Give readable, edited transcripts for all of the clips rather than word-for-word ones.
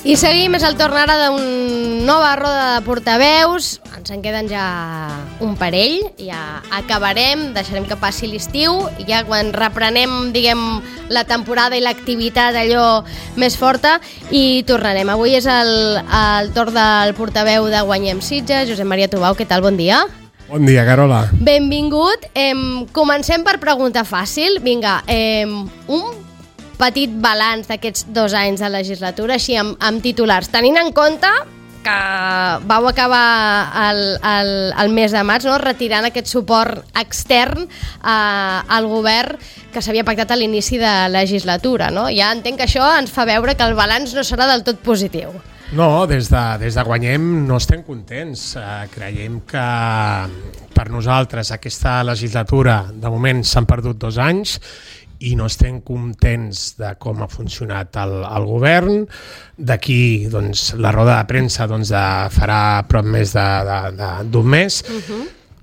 I seguim, és el torn ara d'una nova roda de portaveus. Ens en queden ja un parell, ja acabarem, deixarem que passi l'estiu i ja quan reprenem, diguem, la temporada i l'activitat allò més forta i tornarem. Avui és el torn del portaveu de Guanyem Sitges, Josep Maria Tubau. Què tal? Bon dia. Bon dia, Carola. Benvingut. Comencem per pregunta fàcil. Vinga, un petit balanç d'aquests 2 anys de legislatura, així amb titulars, tenint en compte que vau acabar el mes de maig, no? Retirant aquest suport extern al govern que s'havia pactat a l'inici de legislatura, no? Ja entenc que això ens fa veure que el balanç no serà del tot positiu. No, des de Guanyem no estem contents. Creiem que per nosaltres aquesta legislatura de moment s'han perdut 2 anys i no estem contents de com ha funcionat el govern. D'aquí doncs, la roda de premsa farà prop més d'un mes,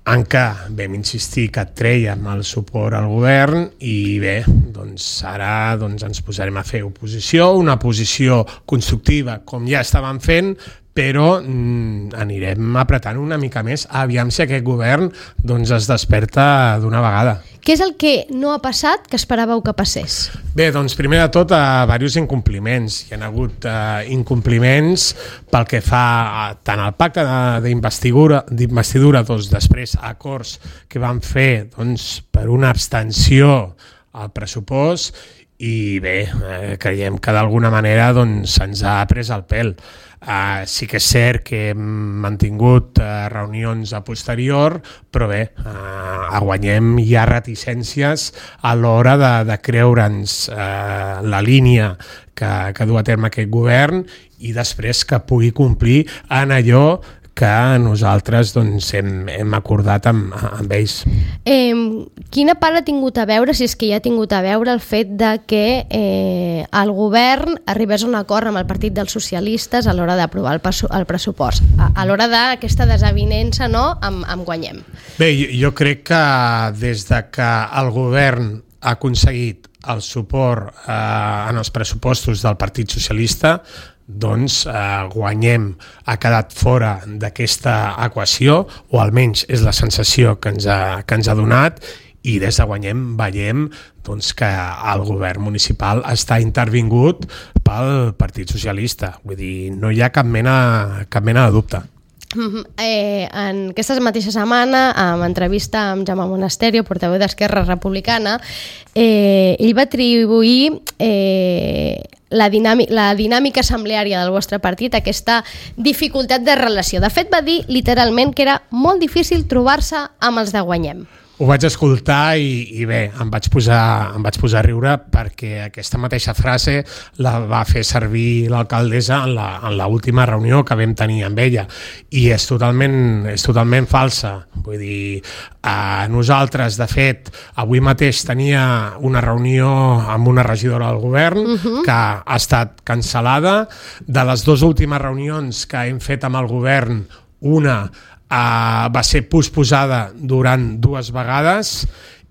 en què vam insistir que trèiem el suport al govern i bé, doncs ara ens posarem a fer oposició, una posició constructiva com ja estàvem fent, però anirem apretant una mica més, aviam si aquest govern es desperta d'una vegada. Què és el que no ha passat que esperàveu que passés? Bé, doncs primer de tot diversos incompliments. Hi ha hagut incompliments pel que fa tant al pacte d'investidura, després acords que van fer per una abstenció al pressupost i bé, creiem que d'alguna manera se'ns ha pres el pèl. Sí que és cert que hem mantingut reunions a posterior, però bé, a Guanyem hi ha reticències a l'hora de creure'ns la línia que du a terme aquest govern i després que pugui complir en allò que nosaltres hem acordat amb ells. Quina part ha tingut a veure, si és que ja ha tingut a veure, el fet de que el govern arribés a un acord amb el Partit dels Socialistes a l'hora d'aprovar el pressupost, a l'hora d'aquesta desavinença, no?, amb Guanyem? Bé, jo crec que des de que el govern ha aconseguit el suport en els pressupostos del Partit Socialista, Guanyem ha quedat fora d'aquesta equació, o almenys és la sensació que ens ha donat, i des de Guanyem veiem que el govern municipal està intervingut pel Partit Socialista. Vull dir, no hi ha cap mena de dubte. En aquesta mateixa setmana, en entrevista amb Jaume Monasterio, portaveu d'Esquerra Republicana, ell va atribuir la dinàmica assembleària del vostre partit, aquesta dificultat de relació. De fet, va dir literalment que era molt difícil trobar-se amb els de Guanyem. Ho vaig escoltar i bé, em vaig posar a riure perquè aquesta mateixa frase la va fer servir l'alcaldessa en l'última reunió que vam tenir amb ella i és totalment falsa. Vull dir, nosaltres, de fet, avui mateix tenia una reunió amb una regidora del govern que ha estat cancel·lada. De les 2 últimes reunions que hem fet amb el govern, una va ser posposada durant 2 vegades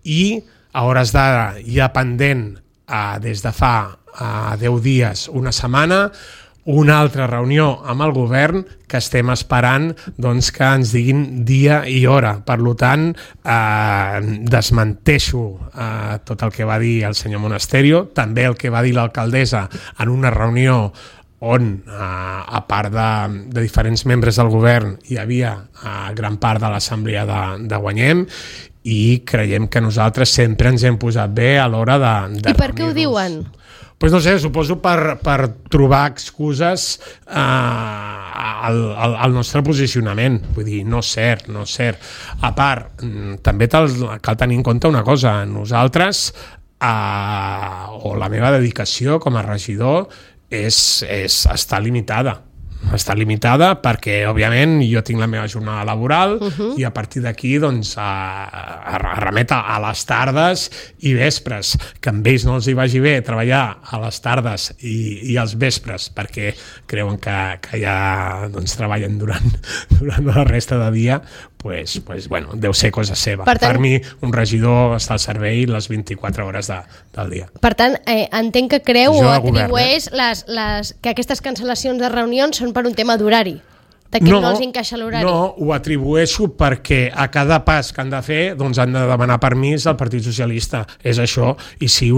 i a hores d'ara ja pendent des de fa 10 dies, una setmana, una altra reunió amb el govern que estem esperant que ens diguin dia i hora. Per tant, desmenteixo tot el que va dir el senyor Monasterio, també el que va dir l'alcaldessa en una reunió on, a part de diferents membres del govern, hi havia gran part de l'assemblea de Guanyem i creiem que nosaltres sempre ens hem posat bé a l'hora de I per què ho diuen? Pues no sé, suposo per trobar excuses al nostre posicionament. Vull dir, no és cert. A part, també cal tenir en compte una cosa. Nosaltres, o la meva dedicació com a regidor, està limitada. Està limitada perquè, òbviament, jo tinc la meva jornada laboral i a partir d'aquí remet a les tardes i vespres, que amb ells no els hi vagi bé treballar a les tardes i als vespres perquè creuen que ja treballen durant la resta de dia, bueno, deu ser cosa seva. Per tant, per mi, un regidor està al servei les 24 hores del dia. Per tant, entenc que creu Jo o de govern, atribueix que aquestes cancel·lacions de reunions són per un tema d'horari, de que no els encaixa l'horari. No, ho atribueixo perquè a cada pas que han de fer doncs han de demanar permís al Partit Socialista. És això. I si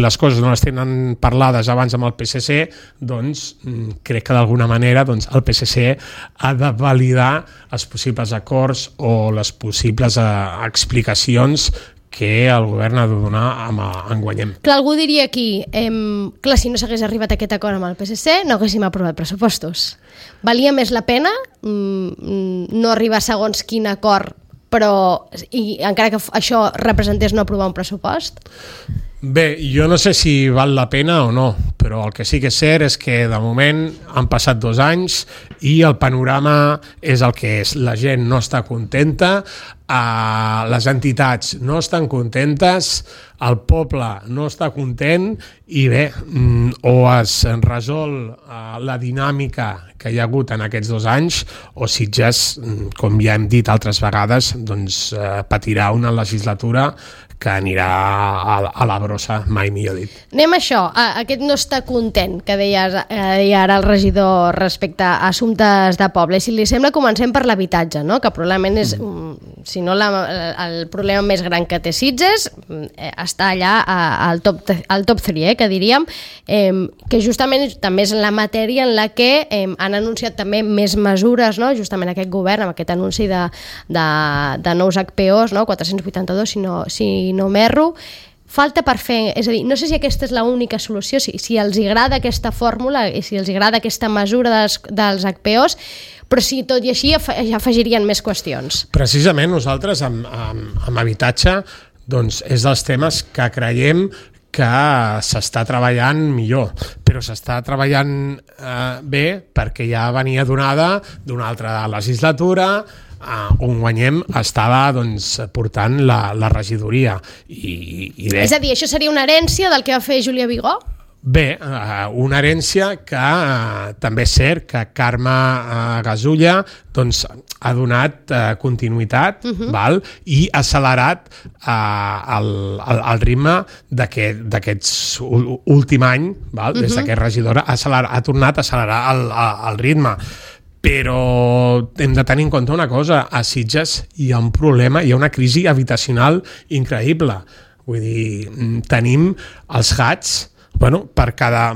les coses no les tenen parlades abans amb el PSC, doncs crec que d'alguna manera doncs, el PSC ha de validar els possibles acords o les possibles explicacions que el govern ha de donar en Guanyem. Clar, algú diria aquí, clar, si no s'hagués arribat a aquest acord amb el PSC, no haguéssim aprovat pressupostos. Valia més la pena no arribar a segons quin acord, però encara que això representés no aprovar un pressupost? Bé, jo no sé si val la pena o no, però el que sí que és cert és que de moment han passat 2 anys i el panorama és el que és. La gent no està contenta, les entitats no estan contentes, el poble no està content i bé, o es resol la dinàmica que hi ha hagut en aquests 2 anys o Sitges, com ja hem dit altres vegades, doncs patirà una legislatura que anirà a la brossa, mai millor dit. Anem a això, aquest no està content que deia ara el regidor respecte a assumptes de poble. Si li sembla, comencem per l'habitatge, no? Que probablement és, si no el problema més gran que té Sitges, està allà al top 3, que diríem, que justament també és la matèria en la que han anunciat també més mesures, no? Justament aquest govern, amb aquest anunci de nous HPOs, no? 482, si no m'erro, falta per fer, és a dir, no sé si aquesta és l'única solució, si els agrada aquesta fórmula i si els agrada aquesta mesura dels HPOs, però si tot i així ja afegirien més qüestions. Precisament nosaltres amb habitatge doncs és dels temes que creiem que s'està treballant millor, però s'està treballant bé perquè ja venia donada d'una altra legislatura on Guanyem estava portant la regidoria. I bé. És a dir, això seria una herència del que va fer Júlia Vigó? Bé, una herència que també és cert que Carme Gasulla ha donat continuïtat val? I ha accelerat el ritme d'aquest últim any, val? Des que és regidora, ha tornat a accelerar el ritme. Però hem de tenir en compte una cosa, a Sitges hi ha un problema, hi ha una crisi habitacional increïble. Vull dir, tenim els gats, per cada...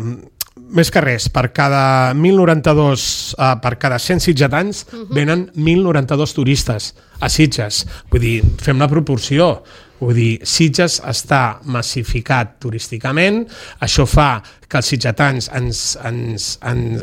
Més que res, per cada 100 sitgetans venen 1.092 turistes a Sitges. Vull dir, fem la proporció. Vull dir, Sitges està massificat turísticament, això fa que els sitgetans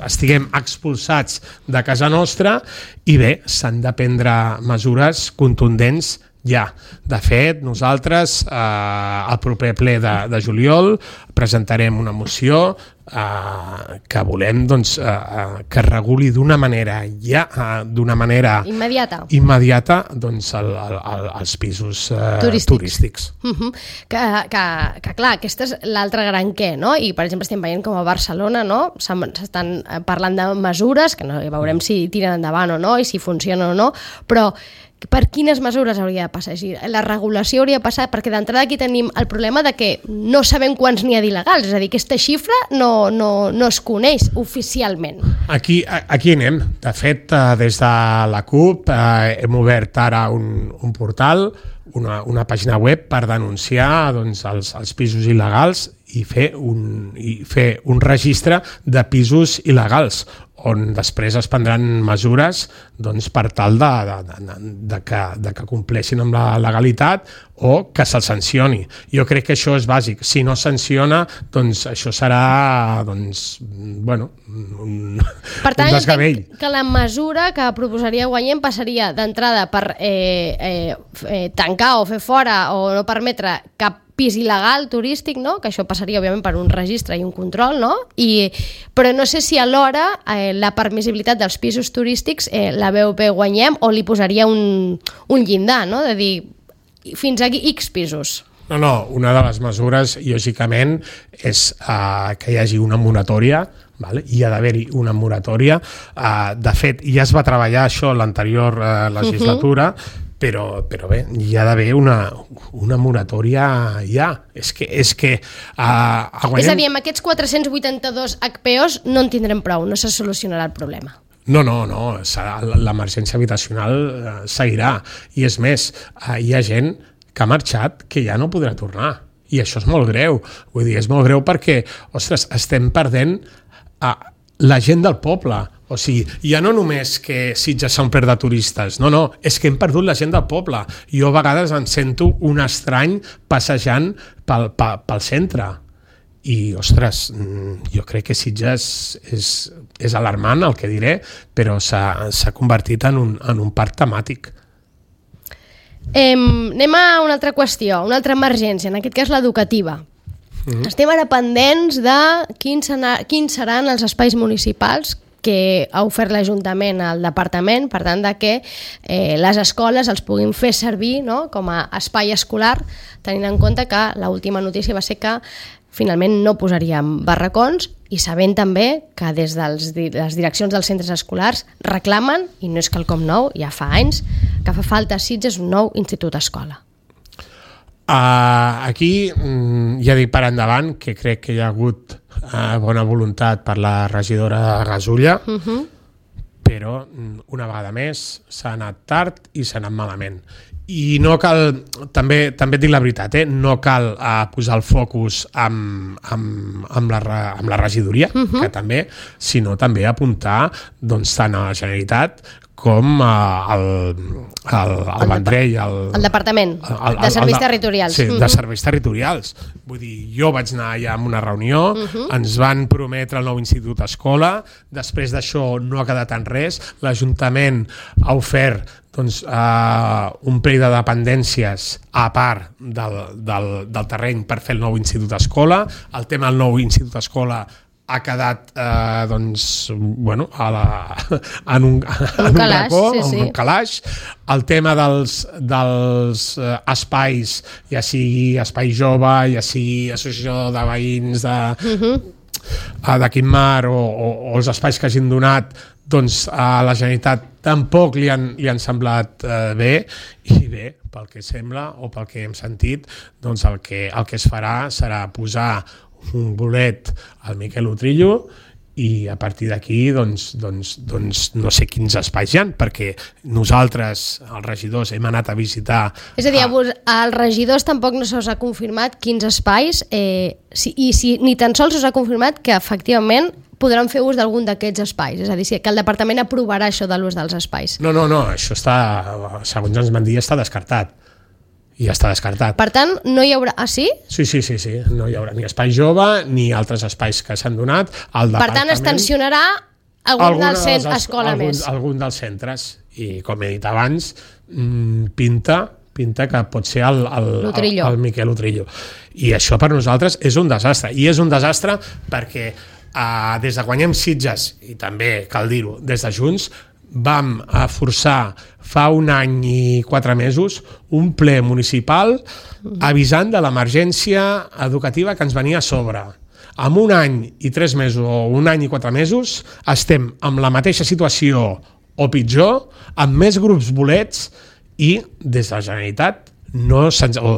estiguem expulsats de casa nostra i bé, s'han de prendre mesures contundents ja. De fet, nosaltres al proper ple de juliol presentarem una moció que volem que reguli d'una manera immediata els pisos turístics. Que clar, aquesta és l'altre gran què, no? I per exemple estem veient com a Barcelona, no? S'estan parlant de mesures que no veurem si tiren endavant o no i si funciona o no, però per quines mesures hauria de passar? La regulació hauria de passar, perquè d'entrada aquí tenim el problema de que no sabem quants n'hi ha d'il·legals, és a dir, aquesta xifra no es coneix oficialment. Aquí anem. De fet, des de la CUP hem obert ara un portal, una pàgina web per denunciar els pisos il·legals i fer un registre de pisos il·legals on després es prendran mesures per tal de que compleixin amb la legalitat o que se'ls sancioni. Jo crec que això és bàsic. Si no sanciona, això serà un desgavell. Que la mesura que proposaria Guanyem passaria d'entrada per tancar o fer fora o no permetre cap pis il·legal turístic, no? Que això passaria òbviament per un registre i un control, no? Però no sé si alhora la permissibilitat dels pisos turístics la veu bé Guanyem o li posaria un llindar, no? De dir fins aquí X pisos. No, una de les mesures, lògicament, és que hi hagi una moratòria, vale? Hi ha d'haver-hi una moratòria. De fet, ja es va treballar això en l'anterior legislatura, però bé, hi ha d'haver una moratòria ja. És que És a dir, amb aquests 482 HPOs no en tindrem prou, no se solucionarà el problema. No, l'emergència habitacional seguirà. I és més, hi ha gent que ha marxat que ja no podrà tornar. I això és molt greu. Vull dir, és molt greu perquè, ostres, estem perdent la gent del poble. O sigui, ja no només que Sitges s'ha omplert de turistes, no, és que hem perdut la gent del poble. Jo a vegades em sento un estrany passejant pel centre. I, ostres, jo crec que Sitges és alarmant el que diré, però s'ha convertit en un parc temàtic. Anem a una altra qüestió, una altra emergència, en aquest cas l'educativa. Estem ara pendents de quins seran els espais municipals que ha ofert l'Ajuntament al Departament, per tant, de que les escoles els puguin fer servir, no?, com a espai escolar, tenint en compte que l'última notícia va ser que finalment no posaríem barracons, i sabent també que des de les direccions dels centres escolars reclamen, i no és quelcom nou, ja fa anys, que fa falta a Sitges un nou institut-escola. Aquí ja dic per endavant que crec que hi ha hagut bona voluntat per la regidora Gasulla, però una vegada més s'ha anat tard i s'ha anat malament. I no cal, també et dic la veritat, no cal posar el focus amb la regidoria, que també, sinó també apuntar tant a la Generalitat com al Vendrell, el Departament de Serveis Territorials. Sí, de Serveis Territorials. Vull dir, jo vaig anar allà a una reunió, ens van prometre el nou institut escola, després d'això no ha quedat en res, l'Ajuntament ha ofert un parell de dependències a part del terreny per fer el nou institut escola. El tema del nou institut escola ha quedat en un racó, en un calaix. El tema dels espais, ja sigui espai jove, ja sigui associació de veïns de Quimar o els espais que hagin donat, doncs a la Generalitat tampoc li han semblat bé, i bé, pel que sembla o pel que hem sentit, doncs el que es farà serà posar un bolet al Miquel Utrillo, i a partir d'aquí doncs no sé quins espais hi ha, perquè nosaltres, els regidors, hem anat a visitar... És a dir, als regidors tampoc no se'ls ha confirmat quins espais, i ni tan sols se'ls ha confirmat que efectivament podran fer ús d'algun d'aquests espais, és a dir, que el Departament aprovarà això de l'ús dels espais. No, això està, segons ens van dir, està descartat. I ja està descartat. Per tant, no hi haurà... Ah, sí? Sí, no hi haurà ni espai jove ni altres espais que s'han donat. Per tant, es tensionarà algun dels centres escola més. Algun dels centres. I, com he dit abans, pinta que pot ser el Miquel Utrillo. I això per nosaltres és un desastre. I és un desastre perquè des de Guanyem Sitges, i també cal dir-ho, des de Junts, vam forçar fa 1 any i 4 mesos un ple municipal avisant de l'emergència educativa que ens venia a sobre. En 1 any i 3 mesos o 1 any i 4 mesos estem en la mateixa situació o pitjor, amb més grups bolets, i des de la Generalitat o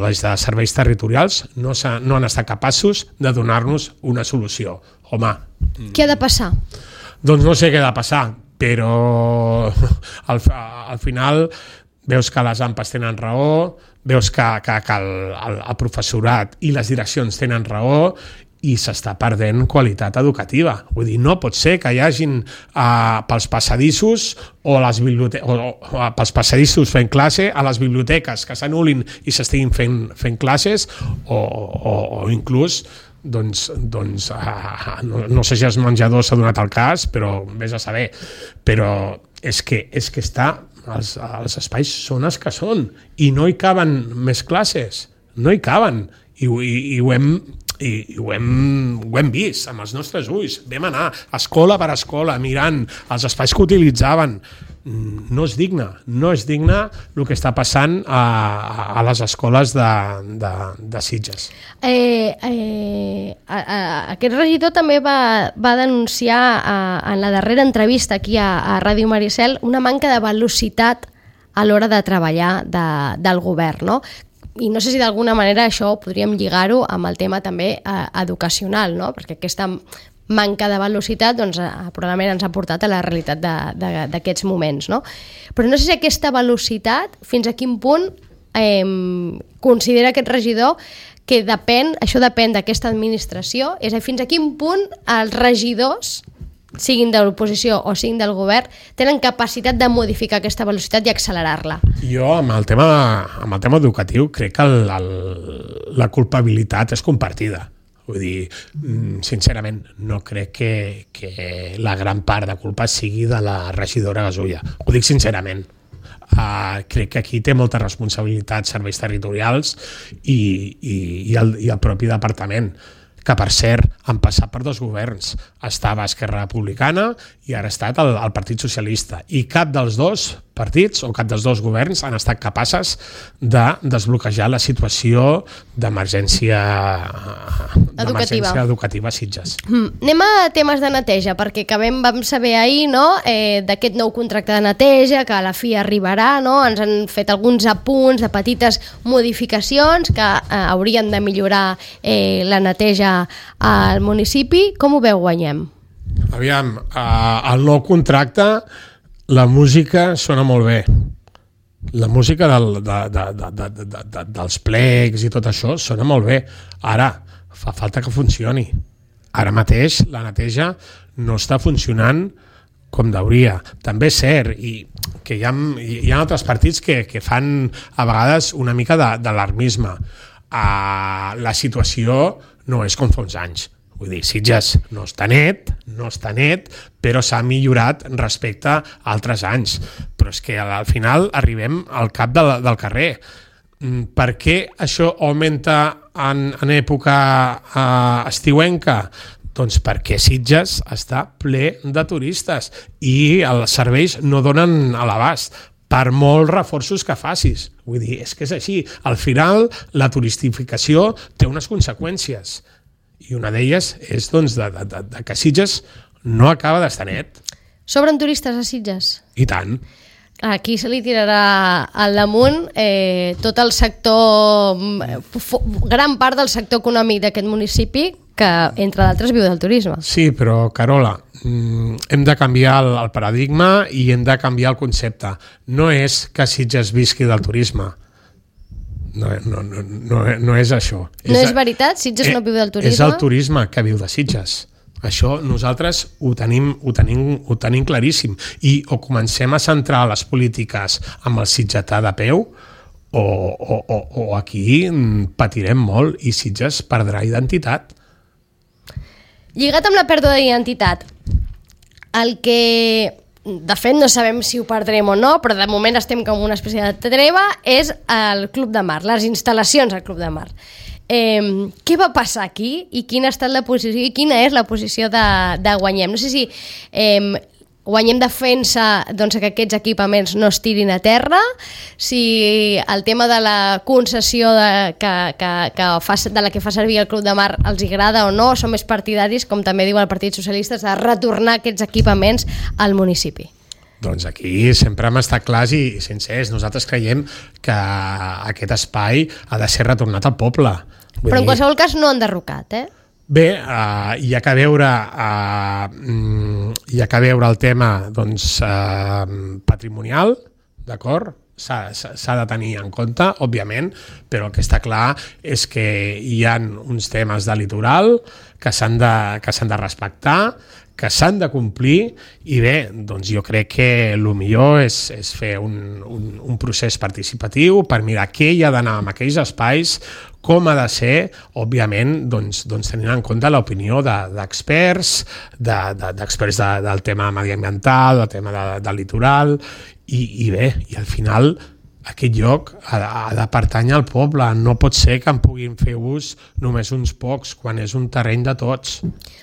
des de serveis territorials no han estat capaços de donar-nos una solució. Home... Què ha de passar? Doncs no sé què ha de passar, però al final veus que les AMPAs tenen raó, veus que el professorat i les direccions tenen raó, i s'està perdent qualitat educativa. Vull dir, no pot ser que hi hagin pels passadissos o pels passadissos fent classe, a les biblioteques que s'anul·lin i s'estiguin fent classes, o inclús no sé si els menjadors s'ha donat el cas, però vés a saber. Però és que els espais són els que són, i no hi caben més classes, no hi caben, i ho hem vist amb els nostres ulls. Vam anar escola per escola mirant els espais que utilitzaven. no és digne el que està passant a les escoles de Sitges. Aquest regidor també va denunciar en la darrera entrevista aquí a Ràdio Maricel una manca de velocitat a l'hora de treballar del govern, no? I no sé si d'alguna manera això podríem lligar-ho amb el tema també educacional, no? Perquè aquesta manca de velocitat doncs, probablement ens ha portat a la realitat d'aquests moments, no? Però no sé si aquesta velocitat, fins a quin punt considera aquest regidor que això depèn d'aquesta administració, és a dir, fins a quin punt els regidors, siguin de l'oposició o siguin del govern, tenen capacitat de modificar aquesta velocitat i accelerar-la. Jo, amb el tema educatiu, crec que la culpabilitat és compartida. Vull dir, sincerament, no crec que la gran part de culpa sigui de la regidora Gasulla. Ho dic sincerament. Crec que aquí té molta responsabilitat serveis territorials i el propi departament, que per cert han passat per 2 governs. Estava Esquerra Republicana i ara ha estat el Partit Socialista. I cap dels 2 partits o cap dels 2 governs han estat capaces de desbloquejar la situació d'emergència educativa a Sitges. Anem a temes de neteja, perquè vam saber ahir, no, d'aquest nou contracte de neteja, que a la fi arribarà, no? Ens han fet alguns apunts de petites modificacions que haurien de millorar la neteja al municipi. Com ho veu, Guanyem? Aviam, el nou contracte, la música sona molt bé. La música dels plecs i tot això sona molt bé. Ara, fa falta que funcioni. Ara mateix la neteja no està funcionant com deuria. També és cert que hi ha altres partits que fan a vegades una mica d'alarmisme. La situació no és com fa uns anys. Vull dir, Sitges no està net, però s'ha millorat respecte a altres anys. Però és que al final arribem al cap del carrer. Per què això augmenta en època estiuenca? Doncs perquè Sitges està ple de turistes i els serveis no donen a l'abast per molts reforços que facis. Vull dir, és que és així. Al final, la turistificació té unes conseqüències. I una d'elles és doncs, que Sitges no acaba d'estar net. Sobren turistes a Sitges? I tant. Aquí se li tirarà al damunt tot el sector, gran part del sector econòmic d'aquest municipi, que entre d'altres viu del turisme. Sí, però Carola, hem de canviar el paradigma i hem de canviar el concepte. No és que Sitges visqui del turisme. No és això. No és veritat? Sitges no viu del turisme? És el turisme que viu de Sitges. Això nosaltres ho tenim claríssim. I o comencem a centrar les polítiques amb el sitgetà de peu o aquí patirem molt i Sitges perdrà identitat. Lligat amb la pèrdua d'identitat, el que de fet no sabem si ho perdrem o no, però de moment estem com una espècie de treva, és el Club de Mar, les instal·lacions al Club de Mar. Què va passar aquí i quina ha estat la posició i quina és la posició de Guanyem? No sé si Guanyem defensa doncs, que aquests equipaments no es tirin a terra, si el tema de la concessió de la que fa servir el Club de Mar els agrada o no, són més partidaris, com també diu el Partit Socialista, de retornar aquests equipaments al municipi. Doncs aquí sempre hem estat clars i sincers. Nosaltres creiem que aquest espai ha de ser retornat al poble. Però en qualsevol cas no han derrocat, Bé, hi ha que veure el tema doncs, patrimonial, d'acord? S'ha de tenir en compte, òbviament, però el que està clar és que hi ha uns temes de litoral que s'han de respectar, que s'han de complir, i bé, doncs jo crec que el millor és fer un procés participatiu per mirar què hi ha d'anar en aquells espais, com ha de ser, òbviament, doncs tenint en compte l'opinió d'experts, d'experts del tema mediambiental, del tema del litoral, i bé, i al final aquest lloc ha de pertànyer al poble, no pot ser que en puguin fer ús només uns pocs, quan és un terreny de tots.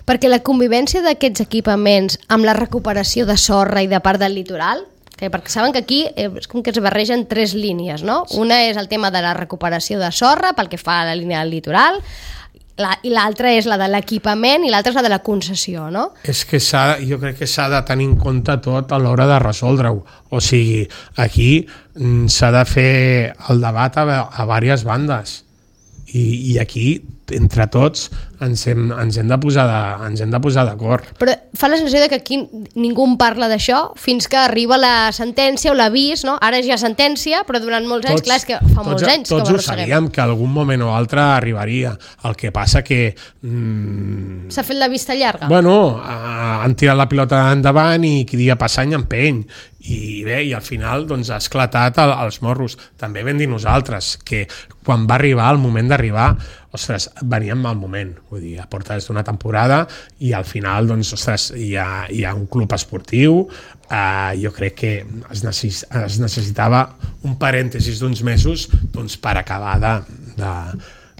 Perquè la convivència d'aquests equipaments amb la recuperació de sorra i de part del litoral Perquè saben que aquí és com que es barregen 3 línies, no? Una és el tema de la recuperació de sorra pel que fa a la línia del litoral, i l'altra és la de l'equipament i l'altra és la de la concessió, no? És que jo crec que s'ha de tenir en compte tot a l'hora de resoldre-ho. O sigui, aquí s'ha de fer el debat a diverses bandes i aquí, entre tots, ens hem de posar d'acord. Però fa la sensació que aquí ningú en parla d'això fins que arriba la sentència o l'avís, no? Ara és ja sentència, però durant molts anys, clar, és que fa molts anys que ho arrosseguem. Tots ho sabíem, que algun moment o altre arribaria. El que passa que... S'ha fet la vista llarga? Bueno, han tirat la pilota endavant i qui dia passa any empeny. I bé, i al final doncs, ha esclatat els morros. També vam dir nosaltres que quan va arribar el moment d'arribar, ostres, veníem mal moment, vull dir, a porta des d'una temporada i al final, doncs, ostres, hi ha un club esportiu, jo crec que es necessitava un parèntesis d'uns mesos doncs, per acabar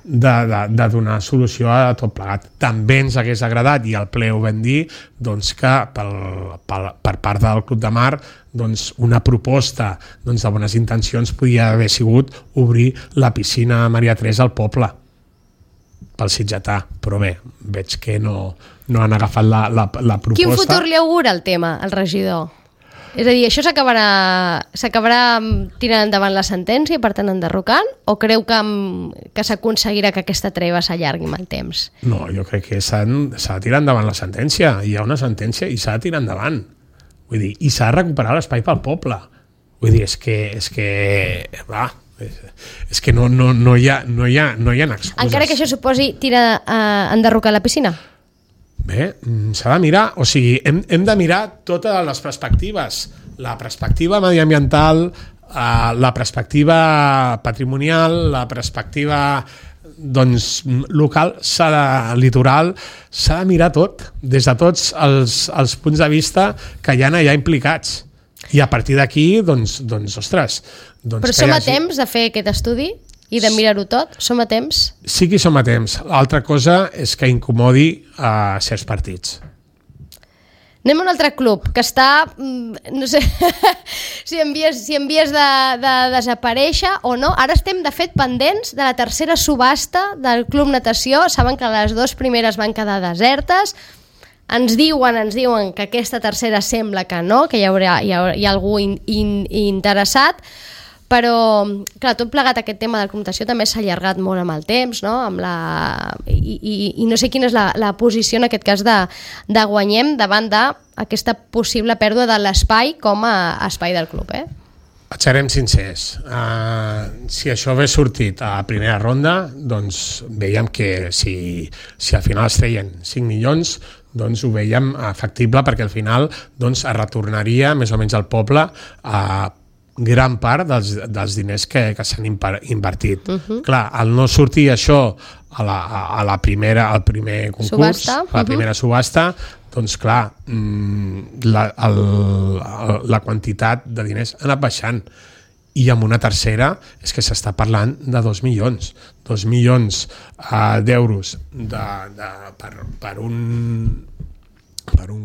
de donar solució a tot plegat. També ens hagués agradat, i al ple ho vam dir, doncs, que per part del Club de Mar doncs, una proposta doncs, de bones intencions podia haver sigut obrir la piscina Maria Teresa al poble pel sitgetà, però bé, veig que no han agafat la proposta. Quin futur li augura el tema, el regidor? És a dir, això s'acabarà tirant endavant la sentència i per tant enderrocant, o creu que s'aconseguirà que aquesta treva s'allargui amb el temps? No, jo crec que s'ha de tirar endavant la sentència. Hi ha una sentència i s'ha de tirar endavant. Vull dir, i s'ha de recuperar l'espai pel poble. Vull dir, és que no hi ha excuses. Encara que això suposi enderrocar la piscina? Bé, s'ha de mirar, o sigui, hem de mirar totes les perspectives, la perspectiva mediambiental, la perspectiva patrimonial, la perspectiva doncs, local, litoral, s'ha de mirar tot, des de tots els punts de vista que hi ha allà implicats. I a partir d'aquí, doncs ostres... Però som a temps de fer aquest estudi? I de mirar-ho tot? Som a temps? Sí que som a temps. L'altra cosa és que incomodi a certs partits. Anem a un altre club que està, no sé si en vies de desaparèixer o no. Ara estem, de fet, pendents de la tercera subhasta del Club Natació. Saben que les 2 primeres van quedar desertes. Ens diuen que aquesta tercera sembla que no, que hi ha algú interessat. Però, clar, tot plegat aquest tema de la computació també s'ha allargat molt amb el temps, no? I no sé quina és la posició en aquest cas de Guanyem davant d'aquesta possible pèrdua de l'espai com a espai del club, Serem sincers, si això hagués sortit a la primera ronda, doncs veiem que si al final es treien 5 milions, doncs ho veiem factible, perquè al final doncs, es retornaria més o menys al poble a gran part dels diners que s'han invertit. Clar, al no sortir això al primer concurs, a la primera subhasta, doncs clar, la quantitat de diners ha anat baixant. I amb una tercera és que s'està parlant de 2 milions. 2 milions d'euros per un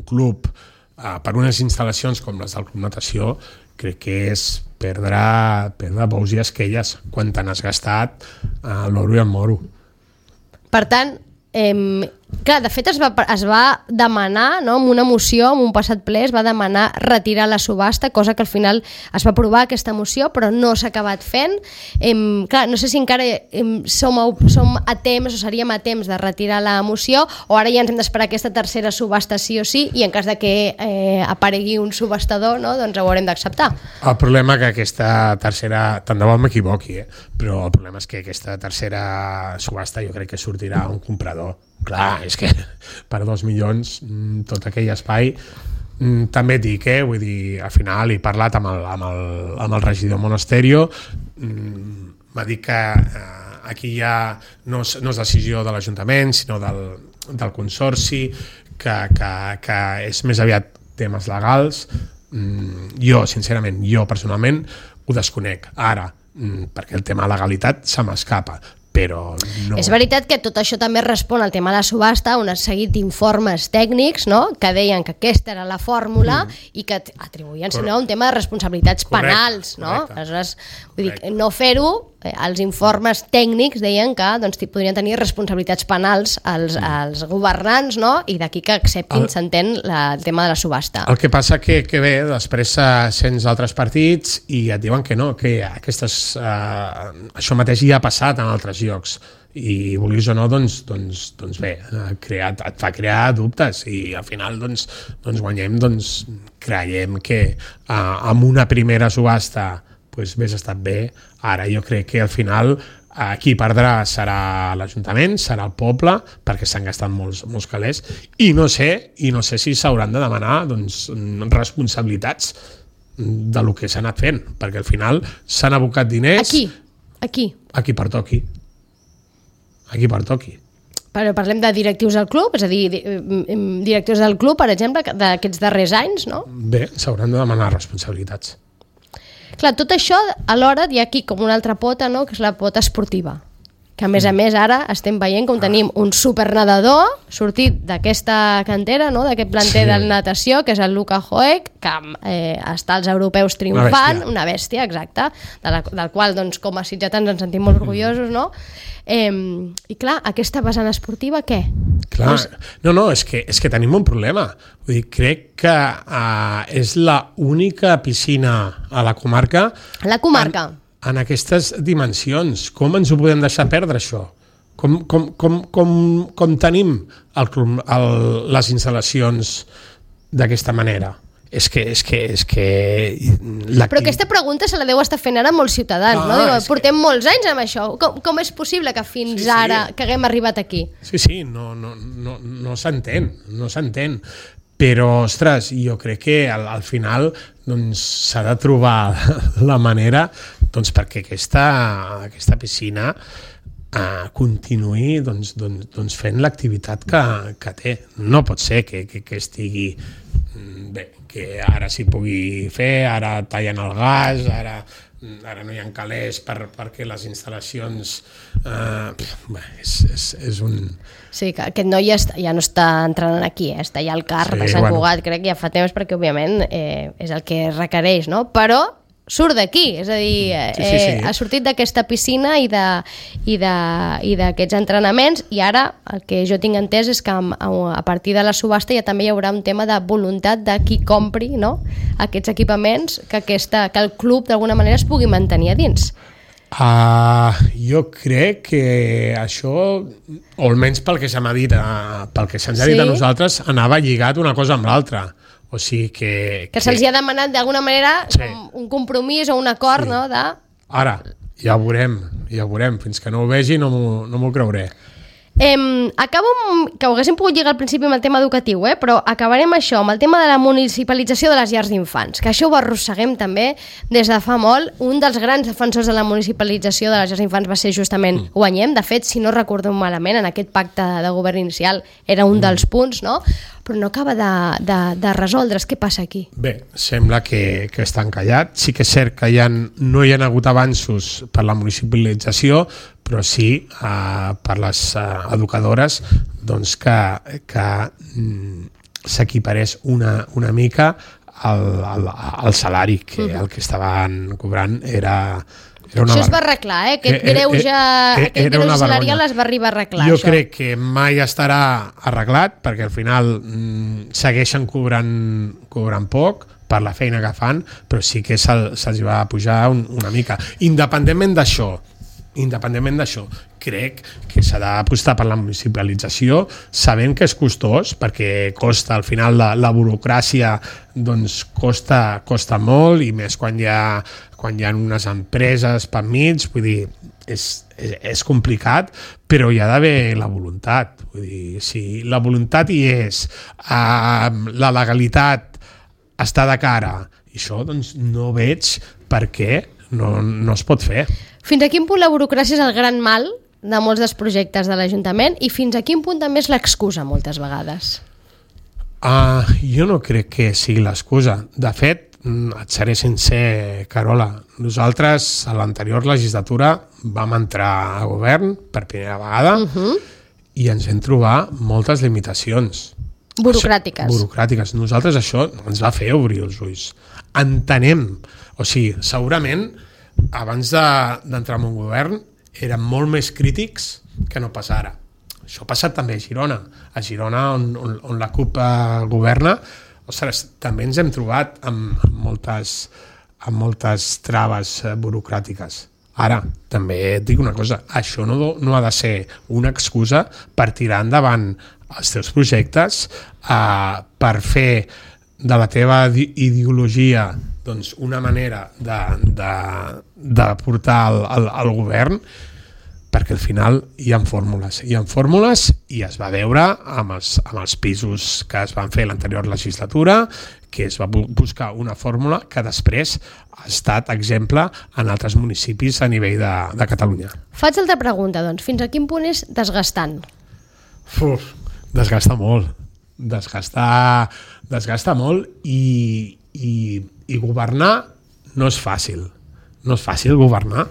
club, per unes instal·lacions com les del Club Natació, crec que és perdre bous i esquelles quan t'han gastat l'oro i el moro. Per tant, clar, de fet es va demanar, no, amb una moció, en un passat ple es va demanar retirar la subhasta, cosa que al final es va aprovar aquesta moció, però no s'ha acabat fent. Clar, no sé si encara som a temps o seríem a temps de retirar la moció, o ara ja ens hem d'esperar aquesta tercera subhasta sí o sí, i en cas de que aparegui un subhastador, no, doncs ho haurem d'acceptar. El problema que aquesta tercera, tant de bo m'equivoqui, però el problema és que aquesta tercera subhasta jo crec que sortirà un comprador. Clar, és que per 2 milions tot aquell espai, també et dic, vull dir, al final he parlat amb el regidor Monasterio, m'ha dit que aquí ja no és decisió de l'Ajuntament sinó del Consorci, que és més aviat temes legals. Jo, sincerament, personalment ho desconec ara, perquè el tema legalitat se m'escapa, però no... És veritat que tot això també respon al tema de la subhasta, un seguit d'informes tècnics, no?, que deien que aquesta era la fórmula i que atribuïen, si no, un tema de responsabilitats penals, no? Aleshores, vull dir, no fer-ho, els informes tècnics deien que doncs, podrien tenir responsabilitats penals als governants, no?, i d'aquí que acceptin, s'entén, el tema de la subhasta. El que passa que bé, després sents altres partits i et diuen que no, que això mateix ja ha passat en altres llocs i vulguis o no, doncs bé, et fa crear dubtes i al final guanyem, creiem que amb una primera subhasta hagués estat bé. Ara jo crec que al final qui perdrà serà l'Ajuntament, serà el poble, perquè s'han gastat molts calés i no sé si s'hauran de demanar responsabilitats de lo que s'ha anat fent, perquè al final s'han abocat diners... Aquí pertoqui. Però parlem de directius del club, és a dir, directius del club, per exemple, d'aquests darrers anys, no? Bé, s'hauran de demanar responsabilitats. Clar, tot això, alhora, hi ha aquí com una altra pota, no?, que és la pota esportiva, que a més ara estem veient com tenim un supernadador sortit d'aquesta cantera, no?, d'aquest planter de natació, que és el Luka Hoek, que està als europeus triomfant, una bèstia, exacte, del qual, doncs, com a sitgetans ens sentim molt orgullosos, no? I clar, aquesta vessant esportiva, què? Clar, no, és que tenim un problema. Vull dir, crec que és l'única piscina a la comarca... En aquestes dimensions. Com ens ho podem deixar perdre, això? Com tenim les instal·lacions d'aquesta manera? És que Però aquesta pregunta se la deu estar fent ara molts ciutadans, no? Portem molts anys amb això. Com és possible que fins ara que haguem arribat aquí? Sí, no s'entén. Però, ostres, jo crec que al final s'ha de trobar la manera perquè aquesta piscina continuï fent l'activitat que té. No pot ser que estigui bé, que ara s'hi pugui fer, ara tallen el gas, ara no hi ha calés perquè les instal·lacions... és un... Sí, que aquest noi ja no està entrenant aquí, està allà al CAR de Sant Cugat, crec que ja fa temps, perquè òbviament és el que requereix, no? Però surt d'aquí, és a dir, ha sortit d'aquesta piscina i d'aquests entrenaments, i ara el que jo tinc entès és que a partir de la subhasta ja també hi haurà un tema de voluntat de qui compri, no?, aquests equipaments, que el club d'alguna manera es pugui mantenir a dins. Jo crec que això, o almenys pel que s'ha dit, pel que se'ns ha dit a nosaltres, anava lligat una cosa amb l'altra. O sigui que se'ls ha demanat d'alguna manera un compromís o un acord, no? Ara, ja ho veurem. Fins que no ho vegi no m'ho creuré. Acabo que ho haguéssim pogut lligar al principi amb el tema educatiu, però acabarem això amb el tema de la municipalització de les llars d'infants, que això ho arrosseguem també des de fa molt. Un dels grans defensors de la municipalització de les llars d'infants va ser justament Guanyem. De fet, si no recordo malament, en aquest pacte de govern inicial era un dels punts, no? Però no acaba de resoldre's. Què passa aquí? Bé, sembla que està encallat. Sí que és cert que no hi ha hagut avanços per la municipalització, però sí per les educadores que s'equiparés una mica al salari, que el que estaven cobrant era això es va arreglar, aquest greuge salarial es va arribar a arreglar. Jo crec que mai estarà arreglat, perquè al final segueixen cobrant poc per la feina que fan, però sí que se'ls va pujar una mica. Independentment d'això, crec que s'ha d'apostar per la municipalització, sabent que és costós, perquè costa, al final la burocràcia costa molt, i més quan hi ha unes empreses per mig, vull dir, és complicat, però hi ha d'haver la voluntat. Vull dir, si la voluntat hi és, la legalitat està de cara, i això no veig per què no es pot fer. Fins a quin punt la burocràcia és el gran mal de molts dels projectes de l'Ajuntament, i fins a quin punt també és l'excusa moltes vegades? Jo no crec que sigui l'excusa. De fet, Et seré sincer, Carola. Nosaltres, a l'anterior legislatura, vam entrar a govern per primera vegada i ens hem trobat moltes limitacions. Burocràtiques. Nosaltres això ens va fer obrir els ulls. Entenem, o sigui, segurament abans d'entrar en un govern eren molt més crítics que no pas ara. Això ha passat també a Girona. A Girona, on la CUP governa, ostres, també ens hem trobat amb moltes traves burocràtiques. Ara, també et dic una cosa, això no ha de ser una excusa per tirar endavant els teus projectes, per fer de la teva ideologia doncs, una manera de portar al govern, perquè al final hi ha fórmules i es va veure amb els pisos que es van fer l'anterior legislatura, que es va buscar una fórmula que després ha estat exemple en altres municipis a nivell de Catalunya. Faig altra pregunta, doncs. Fins a quin punt és desgastant? Desgasta molt. Desgasta molt i governar no és fàcil. No és fàcil governar,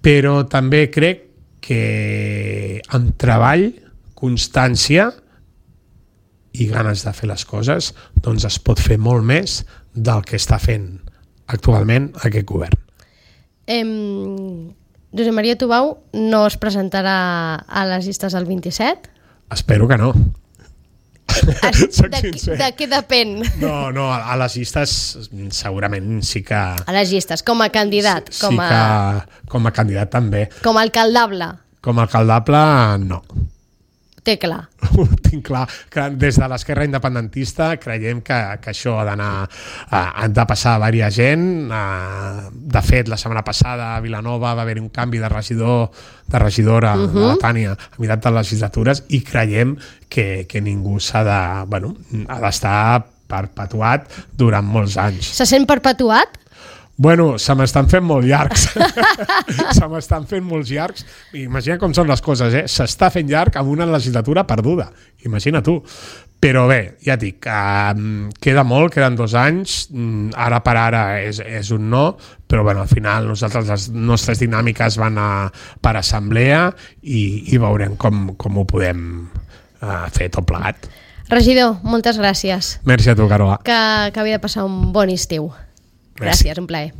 però també crec que amb treball, constància i ganes de fer les coses, doncs es pot fer molt més del que està fent actualment aquest govern. Josep Maria Tubau no es presentarà a les llistes del 27? Espero que no. De què depèn? No, a les llistes segurament sí que... A les llistes, com a candidat? Com a candidat també. Com a alcaldable? Com a alcaldable, no. Té clar. Ho tinc clar, que des de l'esquerra independentista creiem que això ha de passar a diversa gent. De fet, la setmana passada a Vilanova va haver-hi un canvi de regidora, la Tània, a meitat de legislatures, i creiem que ningú ha d'estar perpetuat durant molts anys. Se sent perpetuat? Bueno, se m'estan fent molt llargs. Imagina com són les coses, S'està fent llarg amb una legislatura perduda. Imagina tu. Però bé, ja et dic, queda molt, queden 2 anys, ara per ara és un no, però bueno, al final les nostres dinàmiques van per assemblea i veurem com ho podem fer tot plegat. Regidor, moltes gràcies. Merci a tu, Carola. Que havia de passar un bon estiu. Gràcies, un plaer.